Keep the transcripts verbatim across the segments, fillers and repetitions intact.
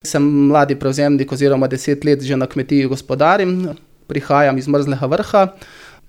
Sem mladi prevzemnik oziroma deset let že na kmetiji gospodarim, prihajam iz Mrzlega Vrha.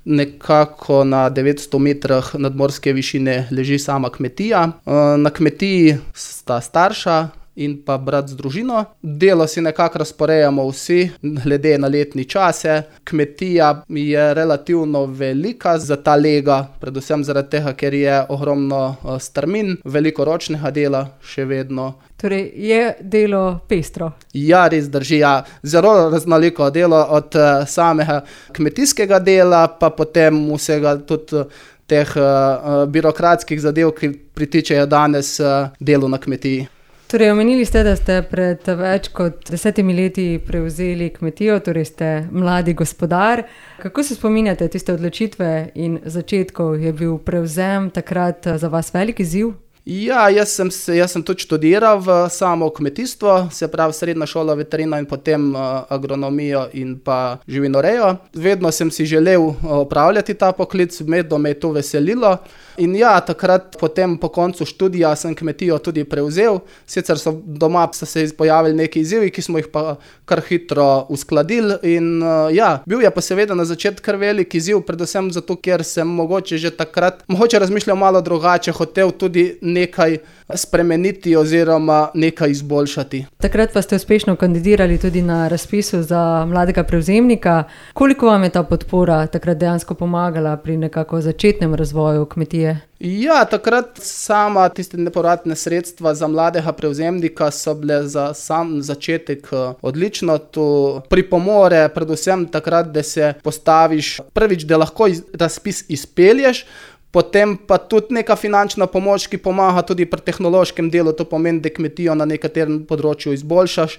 Nekako na devetsto metrih nadmorske višine leži sama kmetija. Na kmetiji sta starša in pa brat z družino. Delo si nekako razporejamo vsi, glede na letni čase. Kmetija je relativno velika za ta lega, predvsem zaradi tega, ker je ogromno strmin, veliko ročnega dela še vedno. Torej je delo pestro? Ja, res drži, ja. Zelo raznoliko delo od samega kmetijskega dela, pa potem vsega tudi teh uh, birokratskih zadev, ki pritičejo danes uh, delu na kmetiji. Torej, omenili ste, da ste pred več kot desetimi leti prevzeli kmetijo, torej ste mladi gospodar. Kako se spominjate tiste odločitve in začetkov? Je bil prevzem takrat za vas velik izziv? Ja, jaz sem, jaz sem tudi študiral v samo kmetijstvo, se pravi srednja šola veterina in potem uh, agronomijo in pa živinorejo. Vedno sem si želel opravljati ta poklic, vedno me je to veselilo. In ja, takrat potem po koncu študija sem kmetijo tudi prevzel. Sicer so doma so se pojavili neki izzivi, ki smo jih pa kar hitro uskladili. In uh, ja, bil je pa seveda na začetku kar velik izziv, predvsem zato, ker sem mogoče že takrat, mogoče razmišljal malo drugače, hotel tudi nekaj spremeniti oziroma nekaj izboljšati. Takrat pa ste uspešno kandidirali tudi na razpisu za mladega prevzemnika. Koliko vam je ta podpora takrat dejansko pomagala pri nekako začetnem razvoju kmetije? Ja, takrat sama tiste nepovratne sredstva za mladega prevzemnika so bile za sam začetek odlično. To pripomore predvsem takrat, da se postaviš prvič, da lahko iz, razpis izpelješ, potem pa tudi neka finančna pomoč, ki pomaga tudi pri tehnološkem delu, to pomeni, da kmetijo na nekaterem področju izboljšaš,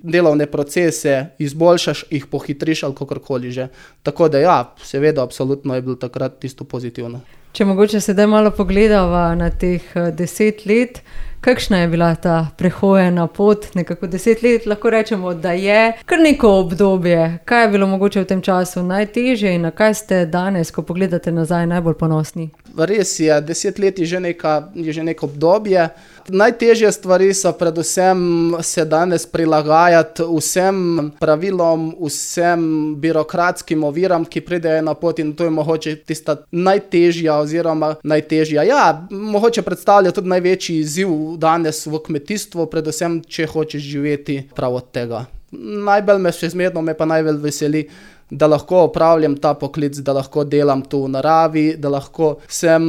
delovne procese izboljšaš, jih pohitriš ali kakorkoli že. Tako da ja, seveda, absolutno je bilo takrat tisto pozitivno. Če mogoče sedaj malo pogledava na teh deset let, kakšna je bila ta prehojena pot? Nekako deset let lahko rečemo, da je kar neko obdobje. Kaj je bilo mogoče v tem času najtežje in na kaj ste danes, ko pogledate nazaj, najbolj ponosni? Res je, deset let je že, neka, je že neko obdobje. Najtežje stvari so predvsem se danes prilagajati vsem pravilom, vsem birokratskim oviram, ki pridejo na pot, in to je mogoče tista najtežja oziroma najtežja. Ja, mogoče predstavlja tudi največji izziv danes v kmetijstvu, predvsem če hočeš živeti prav od tega. Najbolj me še zmerno me pa najbolj veseli, da lahko opravljam ta poklic, da lahko delam tu v naravi, da lahko sem,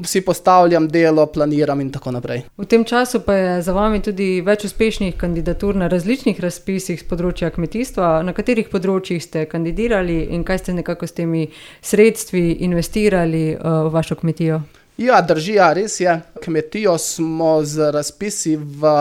si postavljam delo, planiram in tako naprej. V tem času pa je za vami tudi več uspešnih kandidatur na različnih razpisih z področja kmetijstva. Na katerih področjih ste kandidirali in kaj ste nekako s temi sredstvi investirali uh, v vašo kmetijo? Ja, drži, ja, res je. Kmetijo smo z razpisi v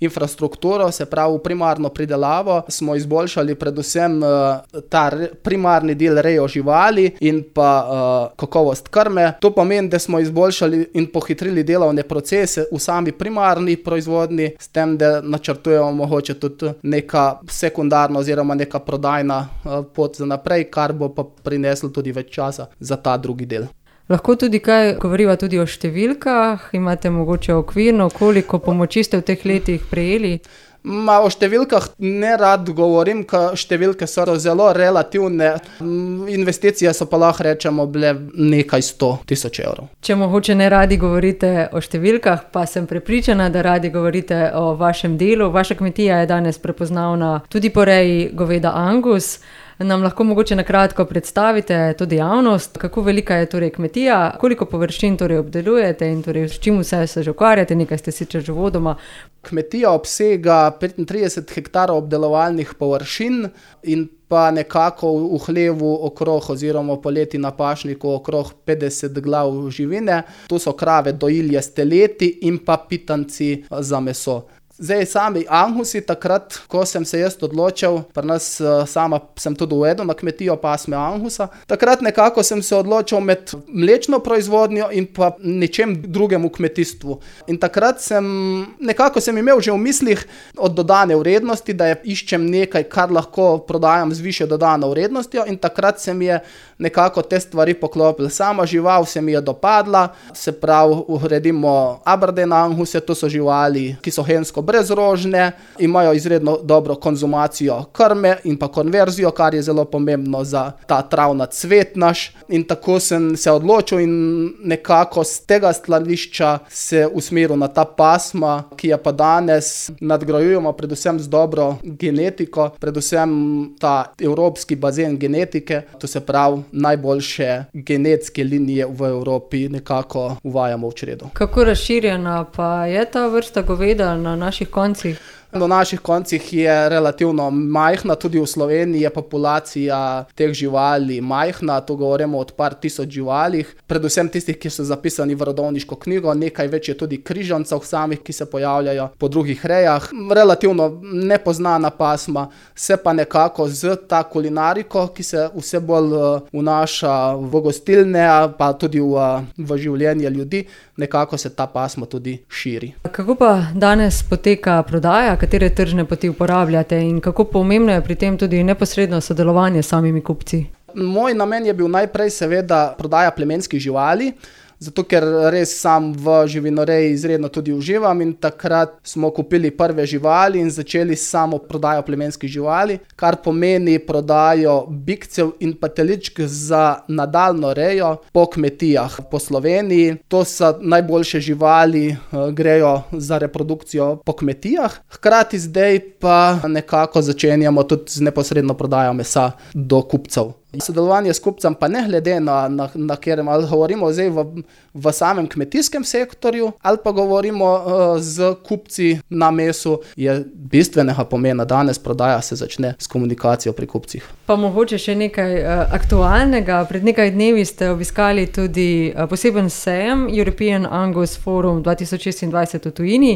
infrastrukturo, se pravi v primarno pridelavo, smo izboljšali predvsem uh, ta primarni del rejo živali in pa uh, kakovost krme. To pomeni, da smo izboljšali in pohitrili delovne procese v sami primarni proizvodnji, s tem, da načrtujemo mogoče tudi neka sekundarna oziroma neka prodajna uh, pot za naprej, kar bo pa prineslo tudi več časa za ta drugi del. Lahko tudi kaj govoriva tudi o številkah? Imate mogoče okvirno, koliko pomoči ste v teh letih prejeli? Ma, o številkah ne rad govorim, ker številke so zelo relativne. Investicije so pa lahko rečemo bile nekaj sto tisoč evrov. Če mogoče ne radi govorite o številkah, pa sem prepričana, da radi govorite o vašem delu. Vaša kmetija je danes prepoznavna tudi po reji goveda Angus. Nam lahko mogoče na kratko predstavite to dejavnost, kako velika je torej kmetija, koliko površin torej obdelujete in torej s čim vse se že ukvarjate, nekaj ste sicer že vodoma. Kmetija obsega petintrideset hektarov obdelovalnih površin in pa nekako v hlevu okrog oziroma poleti na pašniku okrog petdeset glav živine. Tu so krave dojilje s teleti in pa pitanci za meso. Zdaj, sami Angusi, takrat, ko sem se jaz odločil, pri nas sama sem tudi uvedel na kmetijo pasme Angusa, takrat nekako sem se odločil med mlečno proizvodnjo in pa nečem drugem v kmetijstvu. In takrat sem, nekako sem imel že v mislih od dodane vrednosti, da je iščem nekaj, kar lahko prodajam z višjo dodano vrednostjo, in takrat se mi je nekako te stvari poklopil. Sama žival se mi je dopadla, se pravi, uredimo Aberdeen Anguse, to so živali, ki so hensko brezrožne, imajo izredno dobro konzumacijo krme in pa konverzijo, kar je zelo pomembno za ta travna cvet naš. In tako sem se odločil in nekako z tega stališča se usmeril na ta pasma, ki je pa danes nadgrajujemo predvsem z dobro genetiko, predvsem ta evropski bazen genetike, to se pravi najboljše genetske linije v Evropi nekako uvajamo v čredo. Kako razširjena pa je ta vrsta goveda na naših koncih? Na naših koncih je relativno majhna, tudi v Sloveniji je populacija teh živali majhna, tu govorimo od par tisoč živalih, predvsem tistih, ki so zapisani v rodovniško knjigo, nekaj več je tudi križancev samih, ki se pojavljajo po drugih rejah. Relativno nepoznana pasma, se pa nekako z ta kulinariko, ki se vse bolj vnaša v gostilne, pa tudi v, v življenje ljudi, nekako se ta pasma tudi širi. Kako pa danes poteka prodaja? Katere tržne poti uporabljate in kako pomembno je pri tem tudi neposredno sodelovanje s samimi kupci? Moj namen je bil najprej seveda prodaja plemenskih živali, zato ker res sam v živinoreji izredno tudi uživam in takrat smo kupili prve živali in začeli samo prodajo plemenskih živali, kar pomeni prodajo bikcev in pa teličk za nadaljnjo rejo po kmetijah po Sloveniji. To so najboljše živali, grejo za reprodukcijo po kmetijah. Hkrati zdaj pa nekako začenjamo tudi z neposredno prodajo mesa do kupcev. Sodelovanje s kupcem pa ne glede na, na, na kjer, ali govorimo zdaj v, v samem kmetijskem sektorju ali pa govorimo uh, z kupci na mesu, je bistvenega pomena. Danes prodaja se začne s komunikacijo pri kupcih. Pa mogoče še nekaj uh, aktualnega. Pred nekaj dnevi ste obiskali tudi uh, poseben sejem European Angus Forum dva tisoč šestindvajset v tujini.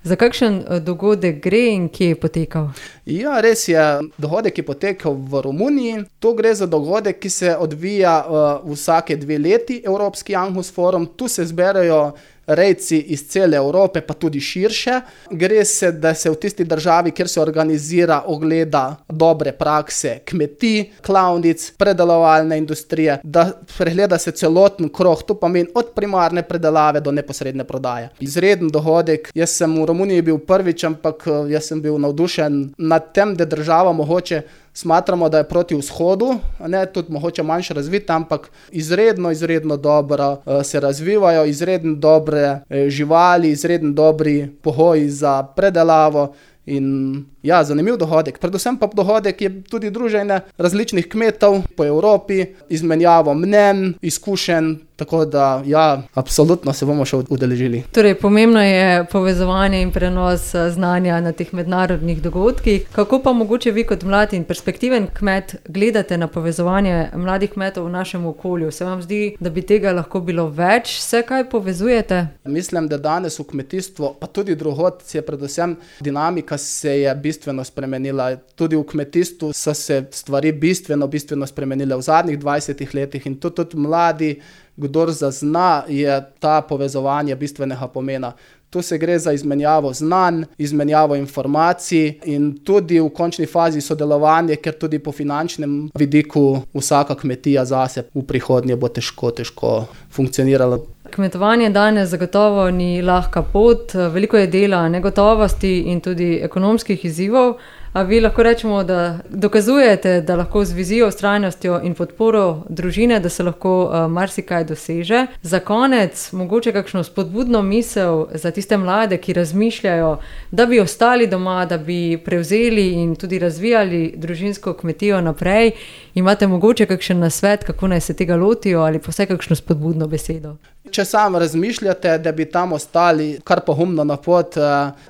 Za kakšen dogodek gre in kje je potekal? Ja, res je. Dogodek je potekal v Romuniji. To gre za dogodek, ki se odvija uh, vsake dve leti, Evropski Angus Forum. Tu se zberajo rejci iz cele Evrope, pa tudi širše. Gre se, da se v tisti državi, kjer se organizira, ogleda dobre prakse kmetij, klavnic, predelovalne industrije, da pregleda se celoten krog, to pomeni od primarne predelave do neposredne prodaje. Izreden dogodek. Jaz sem v Romuniji bil prvič, ampak jaz sem bil navdušen nad tem, da država mogoče smatramo, da je proti vzhodu, ne tudi mogoče manjše razvita, ampak izredno, izredno dobro se razvivajo, izredno dobre živali, izredno dobri pogoji za predelavo in ja, zanimiv dogodek. Predvsem pa dogodek je tudi druženje različnih kmetov po Evropi, izmenjavo mnenj, izkušenj, tako da ja, absolutno se bomo še udeležili. Torej, pomembno je povezovanje in prenos znanja na teh mednarodnih dogodkih. Kako pa mogoče vi kot mlad in perspektiven kmet gledate na povezovanje mladih kmetov v našem okolju? Se vam zdi, da bi tega lahko bilo več? Se kaj povezujete? Mislim, da danes v kmetijstvu, pa tudi drugod, je predvsem dinamika se je bistveno spremenila. Tudi v kmetijstvu so se stvari bistveno, bistveno spremenile v zadnjih dvajsetih letih in tudi, tudi mladi, kdor zazna, je ta povezovanje bistvenega pomena. Tu se gre za izmenjavo znanj, izmenjavo informacij in tudi v končni fazi sodelovanje, ker tudi po finančnem vidiku vsaka kmetija zase v prihodnje bo težko, težko funkcionirala. Kmetovanje danes zagotovo ni lahka pot, veliko je dela, negotovosti in tudi ekonomskih izzivov. A vi lahko rečemo, da dokazujete, da lahko z vizijo, vztrajnostjo in podporo družine, da se lahko uh, marsikaj doseže. Za konec, mogoče kakšno spodbudno misel za tiste mlade, ki razmišljajo, da bi ostali doma, da bi prevzeli in tudi razvijali družinsko kmetijo naprej. Imate mogoče kakšen nasvet, kako naj se tega lotijo ali pa vsaj kakšno spodbudno besedo? Če sam razmišljate, da bi tam ostali kar pogumno na pot,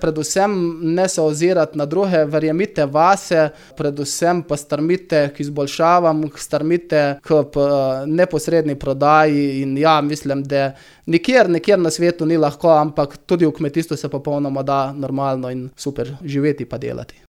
predvsem ne se ozirati na druge, verjemite vase, predvsem pa strmite k izboljšavam, strmite k neposredni prodaji in ja, mislim, da nikjer, nikjer na svetu ni lahko, ampak tudi v kmetijstvu se popolnoma da normalno in super živeti pa delati.